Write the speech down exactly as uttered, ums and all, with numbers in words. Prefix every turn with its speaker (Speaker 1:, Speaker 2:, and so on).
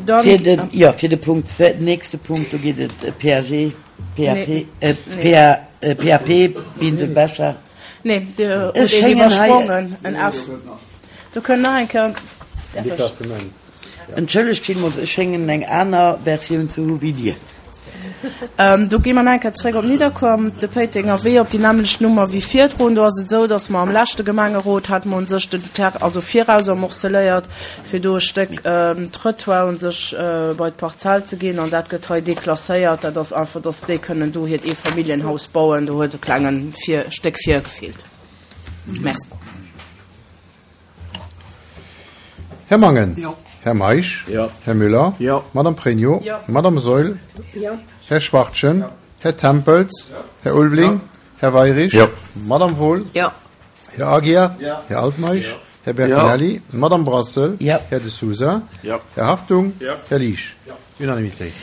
Speaker 1: Dann,
Speaker 2: Fir de, jo, fir de Punkt, nächste Punkt, do geet et P A G, P A P,
Speaker 1: Nee.
Speaker 2: äh, P A, äh, P A P, Binsel Becher.
Speaker 1: Nee, Dir
Speaker 2: Ech
Speaker 1: hutt een
Speaker 2: schéngen hei-
Speaker 1: iwwersprongen, en F. Do kënnt nach eng Kéier. Däerf ech?
Speaker 3: Deklassement.
Speaker 2: Entschëllegt villmools, ech schéngen eng aner Versioun ze hu wéi Dir.
Speaker 1: Ähm, do gi mer nach eng Kéier zréck op Nidderkuer, de Péitenger Wee, op déi nämmlecht Nummer wéi virdrun. Do ass et esou, datt mer am leschte Gemengerot hate mer u sech den Terrain, also viraus morceléiert, fir do e Stéck ähm, Trottoir u sech äh, bei d'Parzell ze ginn, an dat gëtt hei deklasséiert. Dat ass einfach, datt déi kënnen do hiert Eefamilljenhaus bauen. Do huet e klenge vir, Stéck virgefeelt. Merci.
Speaker 3: Här Mangen.
Speaker 4: Jo.
Speaker 3: Här Meisch.
Speaker 4: Jo.
Speaker 3: Här Müller.
Speaker 4: Jo.
Speaker 3: Madame Pregno.
Speaker 1: Jo.
Speaker 3: Madame Saeul.
Speaker 1: Jo.
Speaker 3: Här Schwachtgen. Här Tempels. Här Ulveling. Här Weirich.
Speaker 4: Jo.
Speaker 3: Madame Wohl.
Speaker 1: Jo.
Speaker 3: Här Aguiar.
Speaker 4: Jo.
Speaker 3: Här Altmeisch. Här Bertinelli. Madame Brassel.
Speaker 2: Jo.
Speaker 3: Här De Sousa.
Speaker 4: Jo.
Speaker 3: Här Hartung.
Speaker 4: Jo.
Speaker 3: Här Liesch. Unanimitéit.